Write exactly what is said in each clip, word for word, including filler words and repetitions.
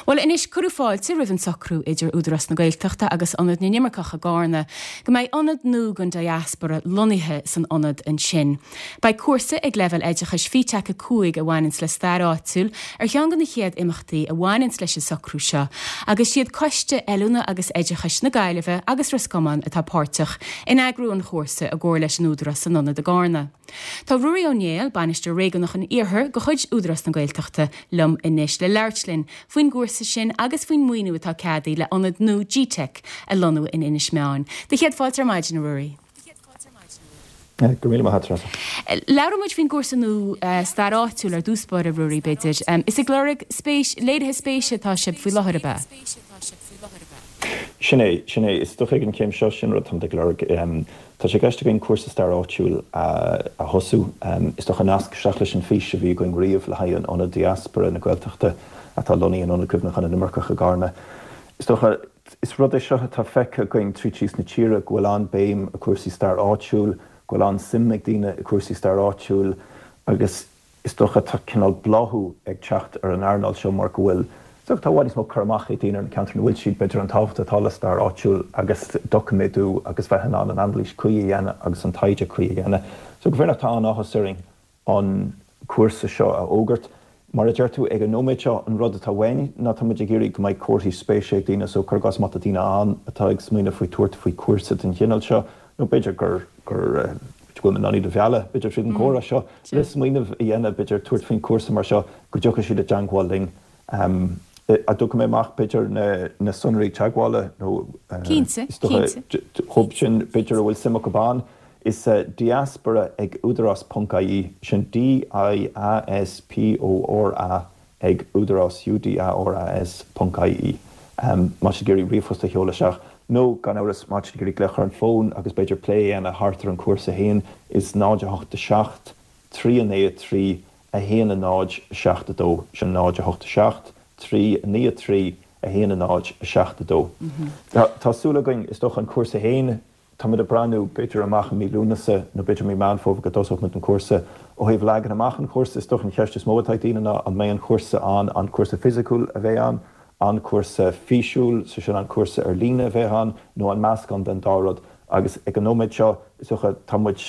Well anois cuireadh fáilte roimh an socrú idir Údarás na Gaeltachta agus Ionad na nImirceach i gCarna, go mbeidh ionad nua don diaspora lonnaithe san ionad ansin. Beidh cúrsa ag leibhéal oideachais FETAC a cúig a bhaineanns le stair áitiúil ar cheann de na chéad imeachtaí a bhaineanns leis an socrú seo, agus siad coiste oiliúna agus oideachais na Gaillimhe agus Ros Comáin atá páirteach in eagrú an chúrsa i gcomhar leis an Údarás san ionad i gCarna. Tá Ruairí Ó Néill bainisteoir réigiúnach an Iarthair de chuid Údarás na Gaeltachta liom anois le labhairt linn faoin gcúrsa sin agus faoin maoiniú atá ceadaithe le ionad nua GTeic a lonnú in Inis Meáin. Do chéad fáilte ar maidin Ruairí. Go míle maith agat. Labhróidh muid faoin gcúrsa nua stair áitiúil ar dtús báire Ruairí b'fhéidir. Is ag lorg spéis léirithe spéise atá sibh faoi láthair ab ea. Sin é sin é is dócha ag an chéim seo sin rud táimid ag lorg. Tá sé i gceist againn cúrsa stair áitiúil a thosú. Is dócha nasc isteach leis an fís a bhí againn riamh le haghaidh an ionad diaspora na Gaeltachta atá lonnaithe in Ionad Cuimhneacháin na nImirceach i gCarna. Is dócha is rud é seo atá feicthe againn tríd síos na tíre go bhfuil an-béim ar cúrsaí stair áitiúil, go bhfuil an-suim ag daoine i cúrsaí stair áitiúil agus is dócha tá cineál bláthú ag teacht ar an earnáil seo mar go bhfuil So tá níos mó cur amach ag daoine ar na ceantair ina bhfuil siad b'fhéidir an tábhacht atá le stair áitiúil agus doiciméadú agus bheith in ann an anailís cuí a dhéanamh agus an taighde cuí a dhéanamh. So go bhféarnach tá an-áthas orainn an cúrsa seo a fhógairt. Mar a deir tú ag an nóiméad seo an rud atá uainn ná tá muid ag iarraidh go mbeidh comharthaí spéise ag daoine so cuir i gcás má tá daoine ann atá ag smaoineamh faoi tabhairt faoi cúrsa den chineál seo nó b'fhéidir gur gur go bhfuil iad á mhealladh b'fhéidir tríd an gcomhrá seo le smaoineamh a dhéanamh b'fhéidir tabhairt faoin cúrsa mar seo go dtiocfaidh siad i dteagmháil linn. Um, a dtug mé amach b'fhéidir na, na sonraí teagmhála nó Cinnte, chub sin b'fhéidir a bhfuil suim acu ann is uh, diaspora ag údarás.ie sin D-I-A-S-P-O-R-A ag údarás UDARAS.ie. Um, má ag iarraidh ríomhphost a sheoladh isteach nó gan amhras má ag iarraidh glaoch ar an bhfón agus b'fhéidir plé a dhéanamh thart ar an cúrsa féin is náid a hocht a seacht, trí a naoi trí a haon a náid seacht a dó sin náid a hocht a seacht, trí naoi trí a haon a náid seacht a dó. Tá súil againn is dócha an cúrsa féin Tá ag breathnú b'fhéidir amach an mí Lúnasa nó b'fhéidir mí Meán Fómhair go dtosódh muid an cúrsa ó thaobh leagan amach an chúrsa is dócha an cheist is mó atá ag daoine ná an mbeidh an cúrsa an an cúrsa fisiciúil a bheidh ann, an cúrsa físiúil so sin an cúrsa ar líne a bheidh ann nó an meascán den dá rud agus ag an nóiméad seo is dócha tá muid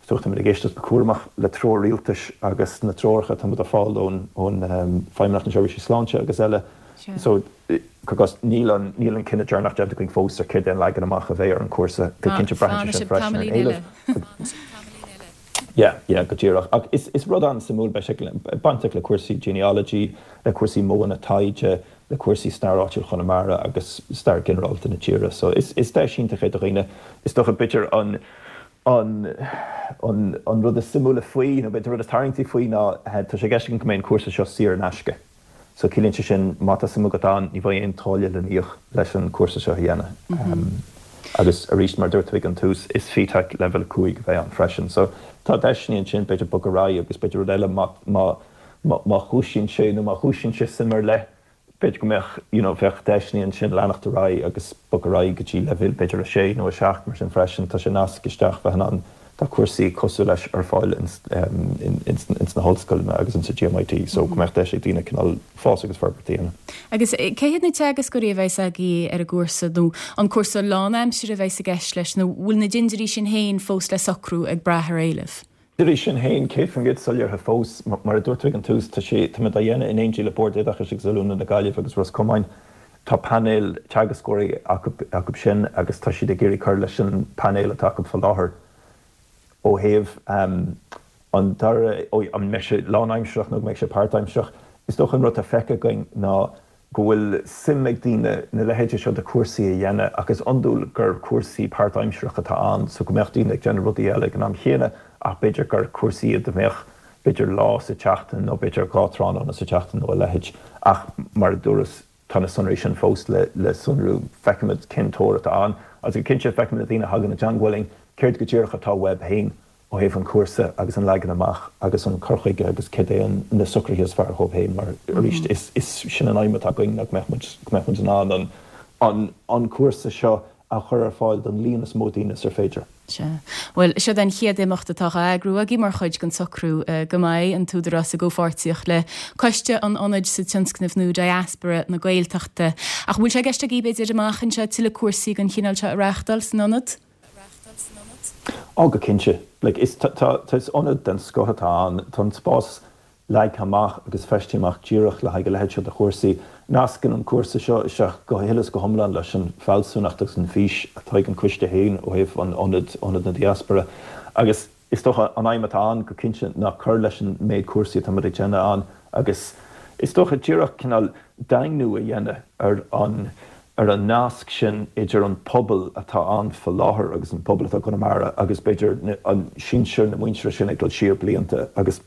tá muid ag éisteacht go cúramach le treoir rialtais agus na treoracha atá muid a fháil ón ón Feidhmeannacht na Seirbhísí Sláinte agus eile. So cos níl an níl an cinneadh deireanach déanta againn fós ar céard an leagan amach a bheidh ar an cúrsa go cinnte braitheann sin freisin ar éileamh. Yeah, yeah, go díreach. Ach is, is rud an-suimiúil beidh sé bainteach le cúrsaí genealogy, le cúrsaí modhanna taighde, le cúrsaí stair áitiúil Chonamara agus stair ginearálta na tíre. So is, is deis iontach é do dhaoine is dócha b'fhéidir an an an an rud is suimiúla faoi nó b'fhéidir rud is tarraingtí faoi ná tá sé i gceist go mbeidh an cúrsa seo saor in aisce. So ciallaíonn sé sin má tá suim agat ann ní bheidh aon táille le n-íoc leis an cúrsa seo a dhéanamh. Mm -hmm. agus arís mar dúirt ag an tús is FETAC level cúig a bheidh ann freisin. So tá deiseanna ansin b'fhéidir bogadh ar aghaidh agus b'fhéidir rud eile má má má dhúisíonn sé nó má dhúisíonn sé suim ar leith b'fhéidir go mbeadh you know, bheadh deiseanna ansin leanacht ar aghaidh agus bogadh ar aghaidh go dtí level b'fhéidir a sé nó a seacht mar sin freisin tá sé nasc isteach bheith an tá cúrsaí cosúil leis ar fáil ins, um, in, ins, ins na hollscoileanna agus insa GMIT, so go mbeadh deis ag daoine cineál fás agus forbairt a dhéanamh. Agus cé hiad na teagascóirí a bheidh agaibh ar an gcúrsa nó an cúrsa lánaimseartha a bheidh i gceist leis nó bhfuil na dindirí sin féin fós le socrú ag brath ar éileamh. Dirí sin féin céad faoin gcéad soiléirithe fós mar a dúirt ag an tús tá sé tá muid á dhéanamh in éindí le Bord Oideachais agus Oiliúna na Gaillimhe agus Ros Comáin. Tá painéal teagascóirí acu, acu sin agus tá siad ag iarraidh cur leis an painéal atá acu faoi láthair ó thaobh um, an dara an mbeidh sé lánaimsearach nó mbeidh sé páirtaimsearach. Is dócha an rud atá feicthe againn ná go bhfuil suim ag daoine na leithéide seo de cúrsaí a dhéanamh agus iondúil gur cúrsaí páirtaimsearach atá ann, so go mbeadh daoine ag déanamh rudaí eile ag an am chéanna ach b'fhéidir gur cúrsaí iad a mbeadh b'fhéidir lá sa tseachtain nó b'fhéidir dhá tráthnóna sa tseachtain nó a leithéid ach mar a dúras tá na sonraí sin fós le, le sonrú feicfimid cén tóir atá ann agus go cinnte feicfimid na daoine a thagann i dteagmháil linn céard go díreach atá uathu féin ó thaobh an cúrsa agus an leagan amach agus an cur chuige agus cad é na socruithe is fearr dóibh féin mar arís is, is sin an aidhm atá againn nach mbeadh muid go mbeadh muid in ann an, an, an cúrsa seo a chur ar fáil don líon is mó daoine is ar féidir. Sea. Bhuel, seod an chéad imeacht atá á eagrú agaibh mar chuid den socrú go mbeidh an tÚdarás i gcomhpháirtíocht le Coiste an Ionaid sa tionscnamh nua Diaspora na Gaeltachta. Ach bhfuil sé i gceist agaibh b'fhéidir amach anseo tuilleadh cúrsaí den chineál seo a reáchtáil san ionad? Á, go cinnte. Like, is, tá, tá, is ionad den scoth atá ann. Tá an spás leagtha amach agus feistithe amach díreach le haghaidh a leithéid seo de chúrsaí. Nascann an cúrsa seo isteach go huile is go hiomlán leis an bhfealsúnacht agus an fhís atá ag an Coiste féin ó thaobh an ionaid, Ionad na Diaspóra. Agus is dócha an aidhm atá ann go cinnte ná cur leis an méid cúrsaí atá muid ag déanamh ann agus is dócha díreach cineál daingniú a dhéanamh ar an ar an nasc sin idir an pobal atá ann faoi láthair agus an pobal atá i gConamara agus b'fhéidir an sinsear na muintire sin ag dul siar blianta agus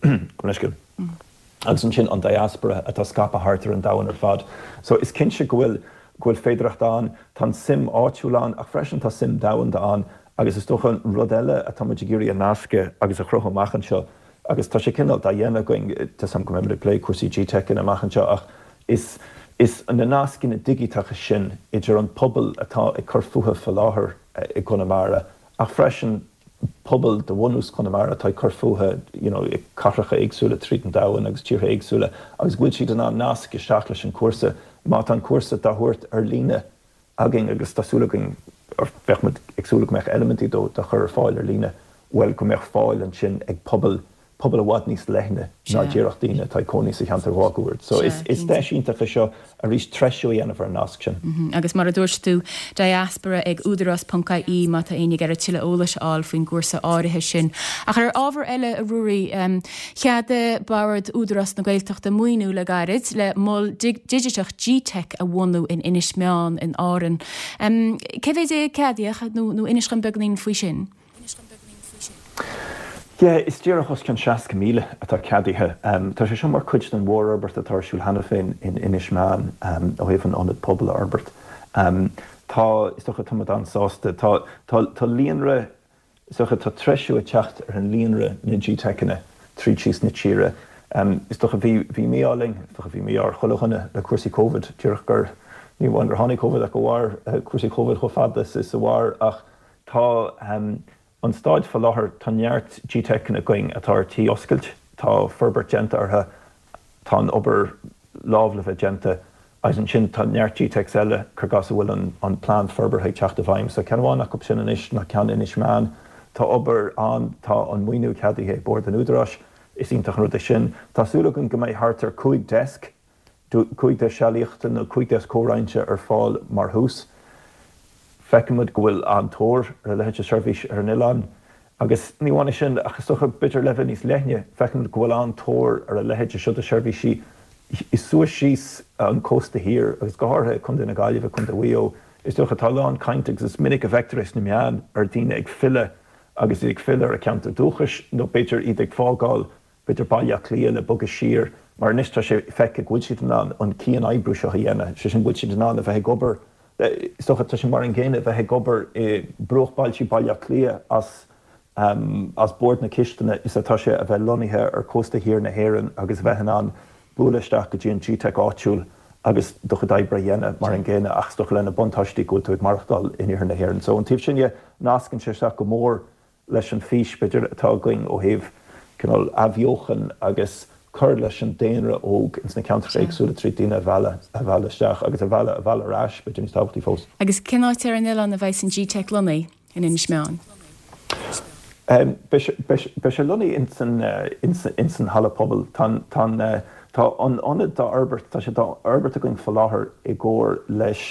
agus ansin an diaspora atá scaipthe thart ar an domhan ar fad. So is cinnte go bhfuil go bhfuil féidearthacht ann, tá an suim áitiúil ann ach freisin tá suim domhanda ann agus is dócha an rud eile atá muid ag iarraidh a nascadh agus a chruthú amach anseo agus tá sé cineál dá dhéanamh againn, tá 's agam go mbeimid ag plé cúrsaí GTeic amach anseo ach is is na nascanna digiteacha sin idir an pobal atá ag cur fúthu faoi láthair i gConamara ach freisin pobal de bhunús Chonamara atá ag cur fúthu you know i cathracha éagsúla tríd an domhan agus tíortha éagsúla agus go bhfuil siad in ann nasc isteach leis an cúrsa má tá an cúrsa dá thabhairt ar líne againn agus tá súil againn bheadh muid ag súil go mbeadh eilimintí dó dá chur ar fáil ar líne bhuel go mbeadh fáil ansin ag pobal pobal i bhfad níos leithne ná díreach daoine atá ag cónaí sa cheantar mháguaird. So is is deis iontach é seo arís treisiú a dhéanamh ar an nasc sin. Agus mar a dúirt tú, diaspora ag údarás ponc ie má tá éinne ag iarraidh tuilleadh eolais a fháil faoin gcúrsa áirithe sin. Ach ar ábhar eile, a Ruairí, cheadaigh Bord Údarás na Gaeltachta maoiniú le gairid le mol digiteach G-Teic a bhunú in Inis Meáin in Árainn. Cé mhéid é a ceadaíodh nó inis dom beagáinín faoi sin? Yeah, is díreach os cionn seasca míle atá ceadaithe. Tá sé seo mar chuid den mhórfhorbairt atá ar siúl cheana féin in Inis Meáin ó thaobh an ionad pobail a fhorbairt. Tá, is dócha, tá muid an-sásta. Tá, tá, tá líonra, is dócha, tá treisiú ag teacht ar an líonra na G-Teiceanna tríd síos na tíre. Is dócha, bhí, bhí mí-ádh linn, is dócha, bhí mí-ádh ar chuile dhuine le cúrsaí Covid, díreach gur, ní amháin gur tháinig Covid ach go mhair cúrsaí Covid chomh fada is a mhair ach tá, An staid faoi láthair, tá neart G-Teiceanna againn atá ar tí oscailt, tá forbairt déanta orthu, tá an obair lámh le bheith déanta agus ansin tá neart G-Teics eile cur i gcás a bhfuil an plean forbartha ag teacht i bhfeidhm. So ceann amháin acu sin anois ná ceann Inis Meáin. Tá obair ann, tá an maoiniú ceadaithe ag Bord an Údaráis, is iontach an rud é sin. Tá súil againn go mbeidh thart ar cúig deasc cúig deasc sealaíochta nó cúig deasc comhroinnte ar fáil mar thús. Feicimid go bhfuil an-tóir ar a leithéid de sheirbhís ar an oileán. Agus ní amháin é sin, ach is dócha, b'fhéidir ar leibhéal níos leithne, feicimid go bhfuil an-tóir ar a leithéid seo de sheirbhísí suas síos an cósta thiar agus go háirithe i Contae na Gaillimhe, Contae Mhaigh Eo. Is dócha, tá a lán cainte agus is minic a bhfeictear é sna meáin ar daoine ag filleadh agus iad ag filleadh ar a gceantar dúchais nó b'fhéidir iad ag fágáil b'fhéidir Baile Átha Cliath le bogadh siar, mar anois tá sé feicthe go bhfuil siad in ann an cian-oibriú seo a dhéanamh, sé sin go bhfuil siad in ann a bheith ag obair, is dócha, tá sé mar an gcéanna a bheith ag obair i bruachbhailte Baile Átha Cliath as as bord na cistine is atá sé a bheith lonnaithe ar chósta thiar na hÉireann agus a bheith in ann bualadh isteach go dtí an G-Teic áitiúil agus do chuid oibre a dhéanamh mar an gcéanna ach is dócha leis na buntáistí go bhfuil tú ag maireachtáil in iarthar na hÉireann. So ón taobh sin dhe, nascann sé isteach go mór leis an bhfís, b'fhéidir, atá againn ó thaobh cineál athbheochan agus cur leis an daonra óg ins na ceantracha éagsúla trí daoine a mhealladh, a mhealladh isteach agus a mhealladh, a mhealladh ar ais, b'fhéidir níos tábhachtaí fós. Agus cén áit ar an oileán a bheidh an G-Teic lonnaithe in Inis Meáin? Beidh sé, beidh, beidh sé lonnaithe ins an, ins, ins an halla pobail. Tá an, tá an, tá an ionad dá fhorbairt, tá sé dá fhorbairt againn faoi láthair i gcomhar leis,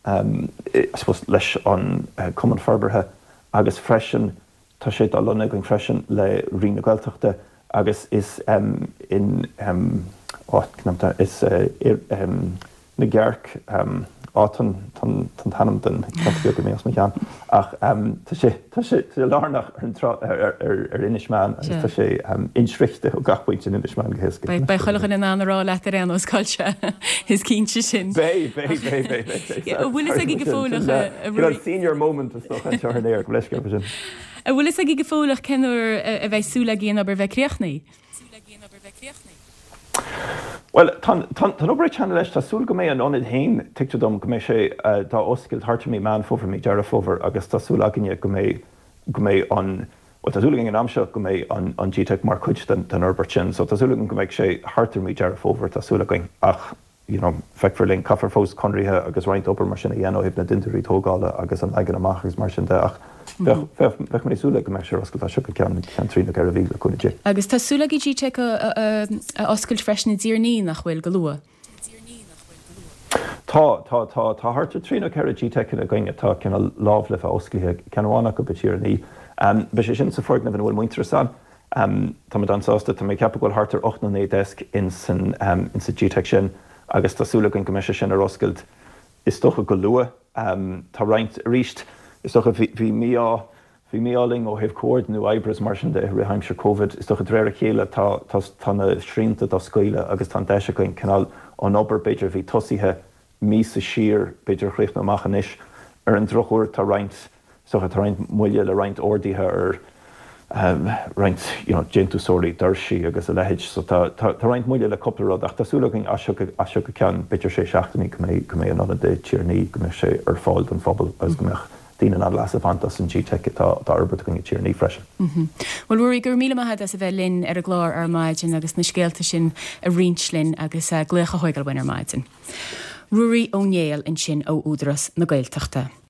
I suppose, leis an Cumann Forbartha agus freisin tá sé dá lonnú againn freisin le Roinn na Gaeltachta agus is in áit, is na gCearc, á tá an t-ainm den cheantar beag imithe as mo cheann ach tá sé tá sé lárnach ar an trá ar ar Inis Meáin agus tá sé insroichte ó gach pointe in Inis Meáin go héasca. Beidh chuile dhuine in ann a rá leat ar aon nós cá bhfuil sé, is cinnte sin. Beidh, beidh, beidh, beidh, beidh. An bhfuil fhios agaibh go fóill a Ruairí? Senior moment is dócha anseo ar an aer, gabh mo leithscéal faoi sin. An bhfuil fhios agaibh go fóilleach cén uair a bheidh súil agaibh an obair bheith críochnaithe? Bhuel, tá an obair ag teannadh leis, tá súil go mbeidh an ionad féin, tuigtear dom go mbeidh sé dá oscailt thart ar mí Meán Fómhair, mí Deireadh Fómhair agus tá súil againne go mbeidh, go mbeidh an, bhuel tá súil againn an am seo go mbeidh an an GTeic mar chuid den den fhorbairt sin. So tá súil againn go mbeidh sé thart ar mí Deireadh Fómhair, tá súil againn ach you know, feicfear linn, caithfear fós conraithe agus roinnt obair mar sin a dhéanamh ó thaobh na dintiúirí tógála agus an leagan amach agus mar sin de ach bheadh, bheadh, bheadh mé ag súil le go mbeadh sé ar oscailt as seo go ceann, ceann trí nó ceithre mhí le cúnamh Dé. Agus tá súil agaibh GTeic a, a, a oscailt freisin i dTír an Fhia, nach bhfuil, go luath? Tá, tá, tá, tá thart ar trí nó ceithre GTeiceanna againn atá cineál lámh le bheith osclaithe, ceann amháin acu i dTír an Fhia. Beidh sé sin sa foirgneamh ina bhfuil Muintearas ann. Táimid an-sásta, tá mé ag ceapadh go bhfuil thart ar ocht nó naoi deasc in san in sa GTeic sin agus tá súil againn go mbeidh sé sin ar oscailt is dócha go luath. Tá roinnt, arís, is dócha bhí bhí mí-ádh bhí mí-ádh linn ó thaobh comhordnú oibre is mar sin de i rith aimsir Covid. Is dócha de réir a chéile tá tá tá na srianta dá scaoileadh agus tá an deis againn cineál an obair b'fhéidir a bhí tosaithe míosa siar, b'fhéidir a chríochnú amach anois. Ar an drochuair tá roinnt, is dócha, tá roinnt moille le roinnt orduithe ar roinnt you know déantúsóirí doirsí agus a leithéid. So tá tá tá roinnt moille le cúpla rud ach tá súil againn as seo go as seo go ceann b'fhéidir sé seachtainí go mbeidh go mbeidh an ionad i Tír an Fhia, go mbeidh sé ar fáil don phobal agus go mbeadh daoine in ann leas a bhaint as an GTeic atá atá á fhorbairt againn i Tír an Fhia freisin. Bhuel Ruairí, go raibh míle maith agat as a bheith linn ar an gclár ar maidin agus na scéalta sin a roinnt linn agus glaoch a thógáil uainn ar maidin. Ruairí Ó Néill ansin ó Údarás na Gaeltachta.